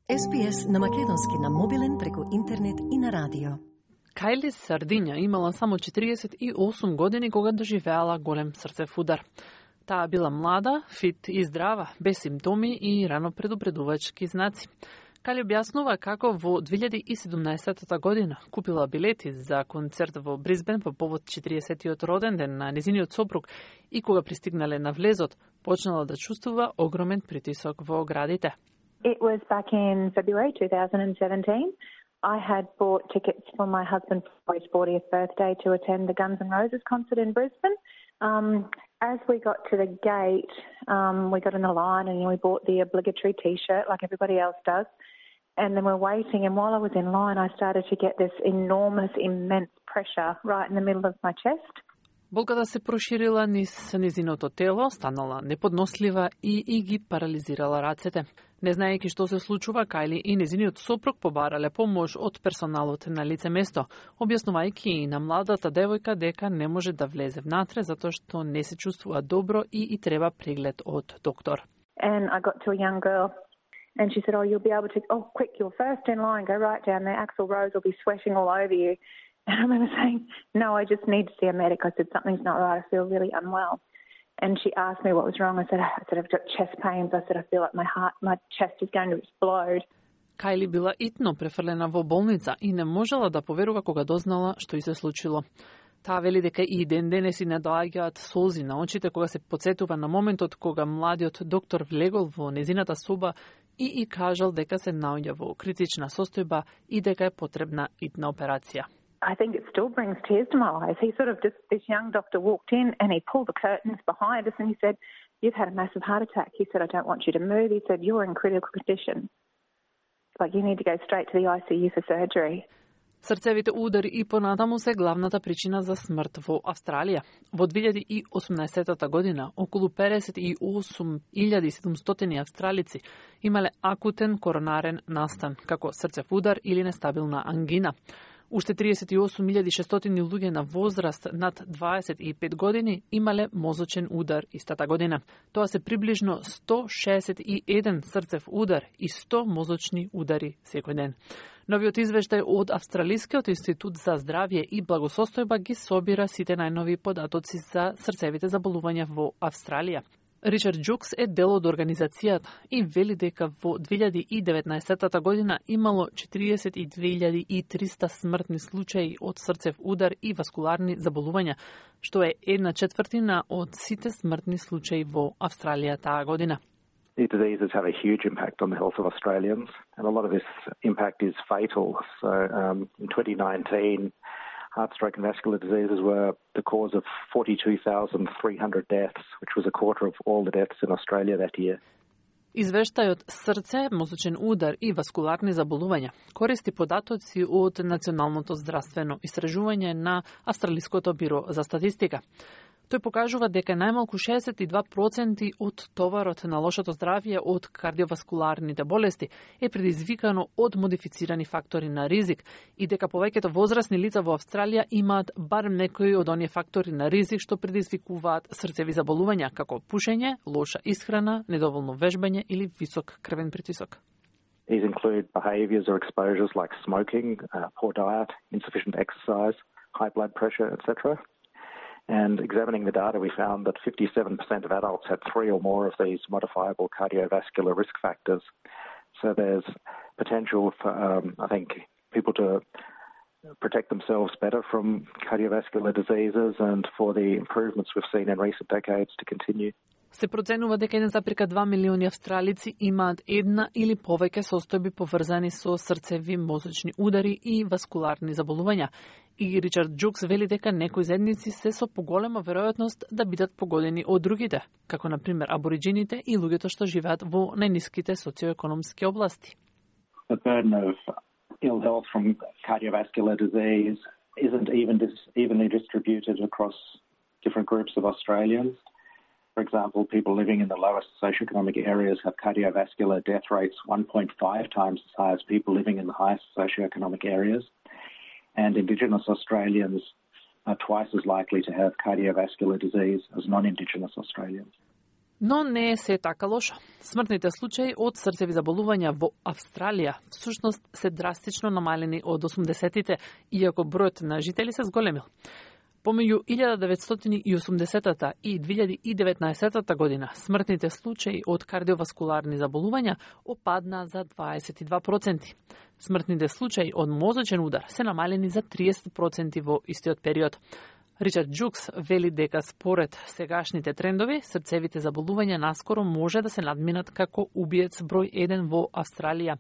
SPS на македонски на мобилен преку интернет и на радио. Кајли Сардиња имала само 48 години кога доживеала голем срцев удар. Таа била млада, фит и здрава, без симптоми и рано предупредувачки знаци. Кајли објаснува како во 2017 година купила билети за концерт во Брисбен по повод 40-тиот роден ден на незиниот сопруг и кога пристигнале на влезот, почнала да чувствува огромен притисок во градите. It was back in February 2017. I had bought tickets for my husband for his 40th birthday to attend the Guns N' Roses concert in Brisbane. As we got to the gate, we got in the line and we bought the obligatory T-shirt like everybody else does. And then we're waiting, and while I was in line, I started to get this enormous, immense pressure right in the middle of my chest. Болката се проширила низ незиното тело, станала неподнослива и ги парализирала рацете. Не знаејќи што се случува, Кајли и незиниот сопруг побарале помош од персоналот на лице место, објаснувајќи и на младата девојка дека не може да влезе внатре затоа што не се чувствува добро и треба преглед од доктор. And I got to a young girl and she said, "Oh, you'll be able to, quick, you're first in line, go right down there, Axl Rose will be sweating all over you." And I remember saying, "No, I just need to see a medic." I said, "Something's not right, I feel really unwell." And she asked me what was wrong. I said, "I've got chest pains." I said, "I feel like my chest is going to explode." Кајли била итно префрлена во болница и не можела да поверува кога дознала што и се случило. Таа вели дека и ден денес и не доаѓаат солзи на очите кога се потсетува на моментот кога младиот доктор влегол во незината соба и кажал дека се наоѓа во критична состојба и дека е потребна итна операција. I think it still brings tears to my eyes. He sort of just, this young doctor walked in and he pulled the curtains behind us and he said, "You've had a massive heart attack." He said, "I don't want you to move." He said, "You're in critical condition. Like, you need to go straight to the ICU for surgery." Срцевите удари и понатаму се главната причина за смрт во Австралија. Во 2018 година, околу 58.700 австралици имале акутен коронарен настан, како срцев удар или нестабилна ангина. Уште 38.600 луѓе на возраст над 25 години имале мозочен удар истата година. Тоа се приближно 161 срцев удар и 100 мозочни удари секој ден. Новиот извештај од Австралискиот институт за здравје и благосостојба ги собира сите најнови податоци за срцевите заболувања во Австралија. Ричард Джукс е дел од организацијата и вели дека во 2019 година имало 42.300 смртни случаи од срцев удар и васкуларни заболувања, што е 1/4 од сите смртни случаи во Австралија таа година. These diseases have a huge impact on the health of Australians, and a lot of this impact is fatal. So in 2019, heart, stroke and vascular diseases were the cause of 42,300 deaths, which was a quarter of all the deaths in Australia that year. Извештајот срце, мозочен удар и васкуларни заболувања користи податоци од Националното здравствено истражување на Австралиското биро за статистика. Тој покажува дека најмалку 62% од товарот на лошото здравје од кардиоваскуларните болести е предизвикано од модифицирани фактори на ризик и дека повеќето возрастни лица во Австралија имаат барем некои од оние фактори на ризик што предизвикуваат срцеви заболувања, како пушење, лоша исхрана, недоволно вежбање или висок крвен притисок. These include behaviours or exposures like smoking, poor diet, insufficient exercise, high blood pressure, etc. And examining the data, we found that 57% of adults had 3 or more of these modifiable cardiovascular risk factors. So there's potential for, I think, people to protect themselves better from cardiovascular diseases and for the improvements we've seen in recent decades to continue. Се проценува дека 1,2 милиони австралици имаат една или повеќе состојби поврзани со срцеви мозочни удари и васкуларни заболувања. И Ричард Джукс вели дека некои заедници се со поголема веројатност да бидат погодени од другите, како на пример абориџините и луѓето што живеат во најниските социоекономски области. The burden of ill health from cardiovascular disease isn't evenly distributed across different groups of Australians. For example, people living in the lowest socioeconomic areas have cardiovascular death rates 1.5 times as high as people living in the highest socioeconomic areas. And Indigenous Australians are twice as likely to have cardiovascular disease as non-Indigenous Australians. Но не е се така лошо. Смртните случаи од срцеви заболувања во Австралија всушност се драстично намалени од 80-тите, иако бројот на жители се зголемил. Помеѓу 1980-та и 2019 година смртните случаи од кардиоваскуларни заболувања опадна за 22%. Смртните случаи од мозочен удар се намалени за 30% во истиот период. Ричард Джукс вели дека според сегашните трендови, срцевите заболувања наскоро може да се надминат како убиец број 1 во Австралија,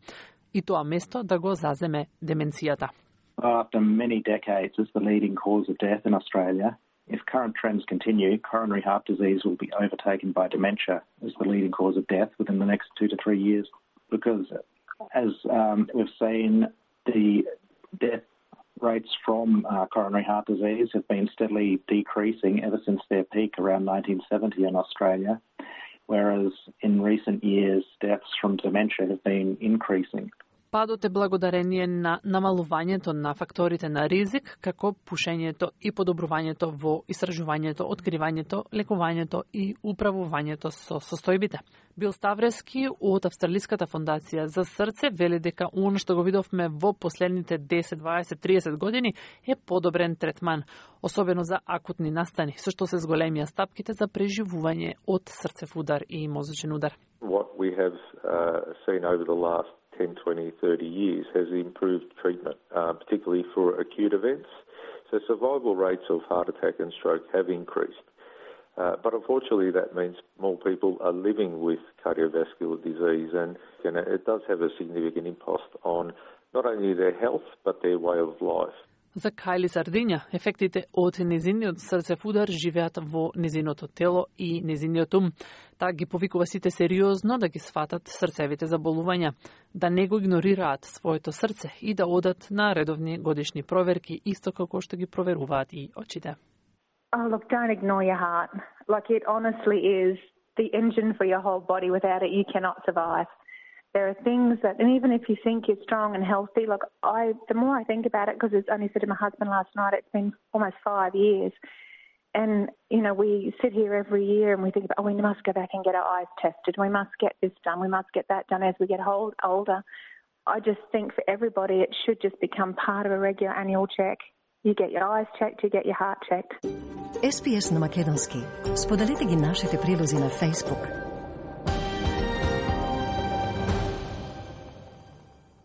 и тоа место да го заземе деменцијата. After many decades as the leading cause of death in Australia, if current trends continue, coronary heart disease will be overtaken by dementia as the leading cause of death within the next 2 to 3 years. Because as we've seen, the death rates from coronary heart disease have been steadily decreasing ever since their peak around 1970 in Australia, whereas in recent years, deaths from dementia have been increasing. Падот е благодарение на намалувањето на факторите на ризик, како пушењето и подобрувањето во истражувањето, откривањето, лекувањето и управувањето со состојбите. Бил Ставрески од Австралиската фондација за срце вели дека она што го видовме во последните 10, 20, 30 години е подобрен третман, особено за акутни настани, со што се зголемија стапките за преживување од срцев удар и мозочен удар. What we have seen over the last 10, 20, 30 years has improved treatment, particularly for acute events. So survival rates of heart attack and stroke have increased. But unfortunately that means more people are living with cardiovascular disease, and it does have a significant impact on not only their health but their way of life. За Кајли Сардиња, ефектите од незиниот срцев удар живеат во незиното тело и незиниот ум. Таа ги повикува сите сериозно да ги сватат срцевите заболувања, да не го игнорираат своето срце и да одат на редовни годишни проверки, исто како што ги проверуваат и очите. Oh, look, don't ignore your heart. Like, it honestly is the engine for your whole body. Without it, you cannot survive. There are things that, and even if you think you're strong and healthy, look, the more I think about it, because I only said to my husband last night, it's been almost 5 years. And, you know, we sit here every year and we think about, we must go back and get our eyes tested. We must get this done. We must get that done as we get older. I just think for everybody, it should just become part of a regular annual check. You get your eyes checked, you get your heart checked. SPS на македонски. Споделете ги нашите прилози на Facebook.